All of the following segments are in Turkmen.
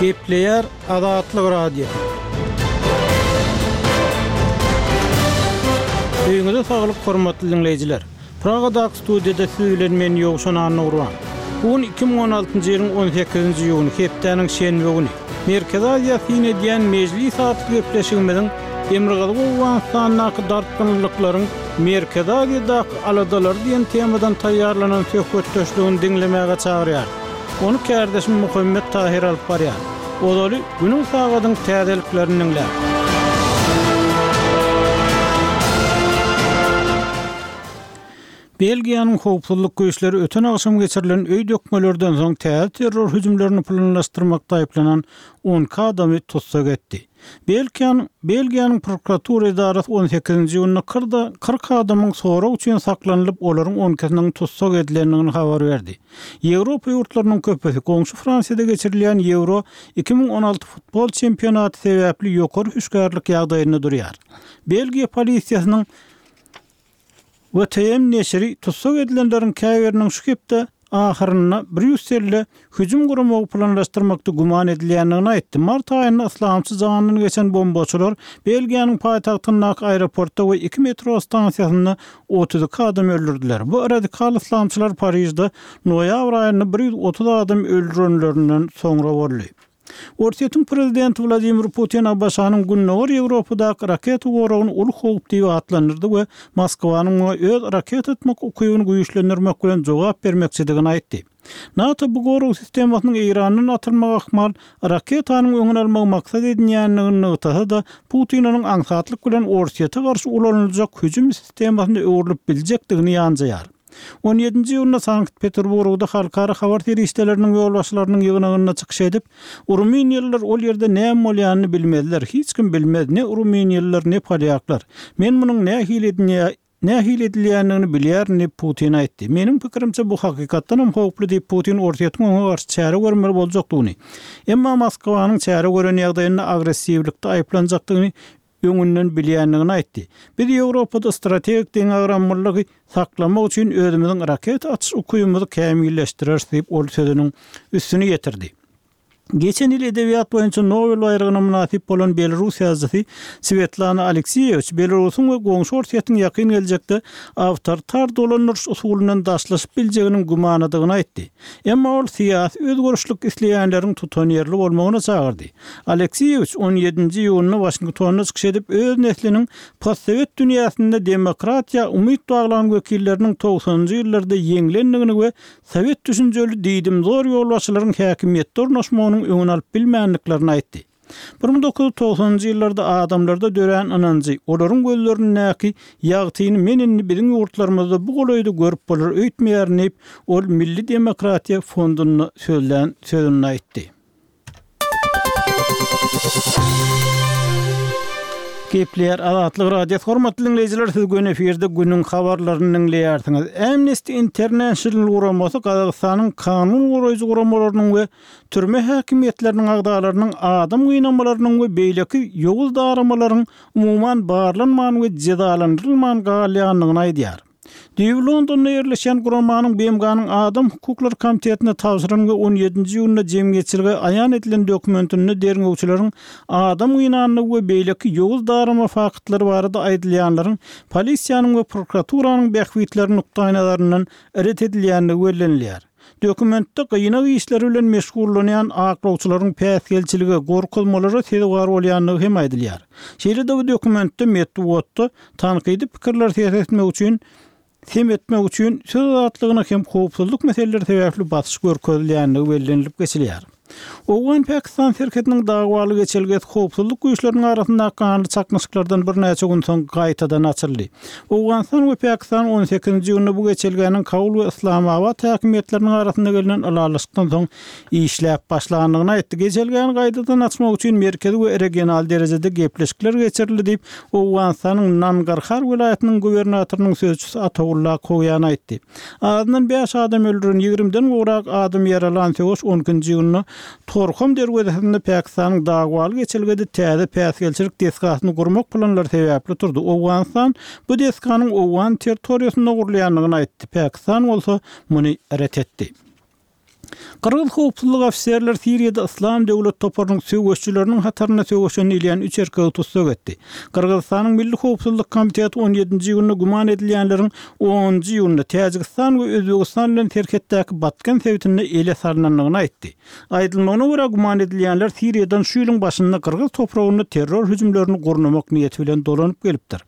Gepleýär Azatlyk Radiosy. Öýüňize saglyk hormatly diňleýjiler! Pragadaky studiýada siz bilen men Ýowşan Annagurban. Bu gün 2016-njy ýylyň 18-nji iýuny, hepdäniň şenbe güni. Merkezi Aziýa syn edýän Mejlis atly gepleşigimiziň Demirgazyk Owganystandaky dartgynlylyklaryň Merkezi Aziýadaky aladalary diýen temadan taýýarlanan söhbetdeşligini diňlemäge çagyrýarys. Ony kärdeşim Muhammet Tahyr alyp barýar. Ozaly günüň sagadyň täzeliklerini diňläň. Belgiýanyň howpsuzlyk güýçleri öten agşam geçirilen öý dökmelerden soň täze terror hüjümlerini planlaşdyrmakda aýyplanan 12 adamy tussag etdi. Belgiýanyň Belgiýanyň prokuratura edarasy on sekizinji iýunda kyrda 40 adamyň sorag üçin saklanylyp, olaryň on ikisiniň tussag edilendigini habar berdi. Ýewropa ýurtlarynyň köpüsi goňşy Fransiýada geçirilýän Ýewro 2016 futbol çempionaty sebäpli ýokary hüşgärlik ýagdaýynda durýar. Belgiýa polisiýasynyň VTM neşiri tussag edilenleriň käbiriniň şu hepde ahyrynda Brýusselde hüjüm guramagy planlaşdyrmakda güman edilýändigini aýtdy. Mart aýynda yslamçy janyndan geçen bombaçylar Belgiýanyň paýtagtyndaky aeroportda we iki metro stansiýasynda 32 adam öldürdiler. Bu radikal yslamçylar Parižde noýabr aýynda 130 adam öldürenlerinden soňra boldy. Orsýetiň prezidenti Wladimir Putin ABŞ-nyň Gündogar Ýewropadaky raketa goragyny uly howp diýip atlandyrdy we Moskwanyň muňa öz raketa atmak ukybyny güýçlendirmek bilen jogap bermekçidigini aýtdy. NATO bu gorag sistemasynyň Eýrandan atylmagy ahmal raketanyň öňüni almagy maksat edinýändigini nygtasa-da, Putin onuň aňsatlyk bilen Orsýete garşy ulanyljak hüjüm sistemasyna öwrülip biljekdigini ýanjaýar. On ýedinji iýunda Sankt-Peterburgda halkara habar serişdeleriniň ýolbaşçylarynyň ýygnagynda çykyş edip, Rumyniýalylar ol ýerde näme bolýanyny bilmezler, hiç kim bilmez, ne rumyniýalylar, ne polýaklar. Men munuň nähili nähili edilýändigini bilýärin diýip, Putin aýtdy. Meniň pikirimçe, bu hakykatdanam howply diýip, Putin Orsýetiň oňa garşy çäre görmeli boljakdygyny, emma Moskwanyň çäre gören ýagdaýynda agressiwlikde aýyplanjakdygyny öňünden bilýändigini aýtdy. Biz Ýewropada strategik deňagramlylygy saklamak üçin özümiziň raketa atyş ukybymyzy kämilleşdireris diýip, ol sözüniň üstüni ýetirdi. Geçen ýyl edebiýat boýunça Nobel baýragyna mynasyp bolan belarus ýazyjysy Swetlana Aleksiýewiç Belarusyň we goňşy Orsýetiň ýakyn geljekde awtoritar dolandyryş usulyndan daşlaşyp biljeginiň gümanadygyny aýtdy. Emma ol syýasy özgerişlik isleýänleriň tutanýerli bolmagyna çagyrdy. Aleksiýewiç on ýedinji iýunda Waşingtonda çykyş edip, öz nesliniň postsowet dünýäsinde demokratiýa umyt baglan wekilleriniň togsanynjy ýyllarda ýeňlendigini we sowet düşünjeli diýdimzor ýolbaşçylaryň häkimiýetde ornaşmagynyň öňüni alyp bilmändiklerini aýtdy. 1990-njy ýyllarda adamlarda dörän ynanjy, olaryň gözlerindäki ýagtyny men indi biziň ýurtlarymyzda bu golaýda görüp bolar öýtmeýärin diýip, ol Milli demokratiýa fondunda sözlän sözünde aýtdy. Gepleýär Azatlyk Radiosy hormatly diňleýjiler siz göni efirde günüň habarlaryny diňleýärsiňiz. Amnesty International guramasy Gazagystanyň kanun goraýjy guramalarynyň we türme häkimiýetleriniň agzalarynyň adam gynamalarynyň we beýleki ýowuz daramalaryň umuman barlanman we jezalandyrylman galýandygyny aýdýar. Düýbi Londonda ýerleşýän guramanyň BMG-niň Adam hukuklary komitetine tabşyran we on ýedinji iýunda jemgyýetçilige aýan edilen dokumentinde derňewçileriň adam gynandygy we beýleki ýowuz darama faktlary barada aýdylýanlaryň polisiýanyň we prokuraturanyň bähbitleri nukdaýnazaryndan ret edilýändigi bellenilýär. Dokumentde gynag işleri bilen meşgullanýan aklawçylaryň päsgelçilige, gorkuzmalara sezewar bolýandygy hem aýdylýar. Şeýle-de bu dokumentde metbugatda tankydy pikirleri ses etmek üçin sem etmek üçin söz azatlygyna hem howpsuzlyk meseleleri sebäpli basyş görkezilýändigi bellenilip geçilýär. Owgan-Pakistan serhediniň dawaly geçelgesi howpsuzlyk güýçleriniň arasyndaky ganly çaknyşyklardan birnäçe gün soň gaýtadan açyldy. Owganystan we Pakistan on sekizinji iýunda bu geçelgäniň Kabul we Yslamabat häkimiýetleriniň arasynda gelnen ylalaşykdan soň işläp başlandygyny aýtdy. Geçelgäni gaýtadan açmak üçin merkezi we regional derejede gepleşikler geçirildi diýip, Owganystanyň Nangarhar welaýatynyň gubernatorynyň sözçüsi Ataulla Kowýan aýtdy. Azyndan bäş adam öldüren, ýigrimiden gowrak adam ýaralan söweş on ikinji iýunda Torham derwezesinde Pakistanyň dawaly geçelgede täze päsgelçilik desgasyny gurmak planlary sebäpli turdy. Owganystan bu desganyň owgan territoriýasynda gurulýandygyny aýtdy, Pakistan bolsa muny ret etdi. Gyrgyz howpsuzlyk ofiserleri Siriýada Yslam döwlet toparynyň söweşijileriniň hatarynda söweşen diýilýän üç erkegi tussag etdi. Gyrgyzystanyň Milli howpsuzlyk komiteti on ýedinji iýunda güman edilýänleriň onunjy iýunda Täjigistan we Özbegistan bilen serhetdäki Batken sebitinde ele salnandygyny aýtdy. Aýdylmagyna görä, güman edilýänler Siriýadan şu ýylyň başynda gyrgyz topragynda terror hüjümlerini gurnamak niýeti bilen dolanyp gelipdir.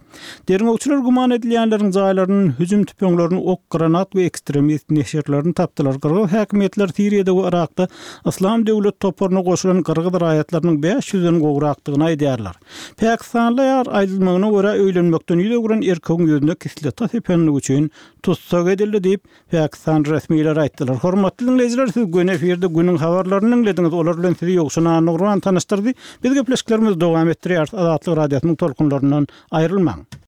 Derňewçiler güman edilýänleriň jaýlaryndan hüjüm tüpeňlerini, ok, granat we ekstremist neşirlerini tapdylar. Gyrgyz häkimiýetleri Siriýada we Yrakda Yslam döwlet toparyna goşulan gyrgyz raýatlarynyň 500 den gowrakdygyny aýdýarlar. Pakistanly aýal, aýdylmagyna görä, öýlenmekden ýüz öwren erkegiň ýüzüne kislota sepenligi üçin tussag edildi diýip, Pakistan resmileri aýtdylar. Hormatly diňleýjiler, siz göni efirde günüň habarlaryny diňlediňiz. Olar bilen sizi Ýowşan Annagurban tanyşdyrdy. Biz gepleşiklerimizi dowam etdirýäris. Azatlyk Radiosynyň tolkunlaryndan aýrylmaň.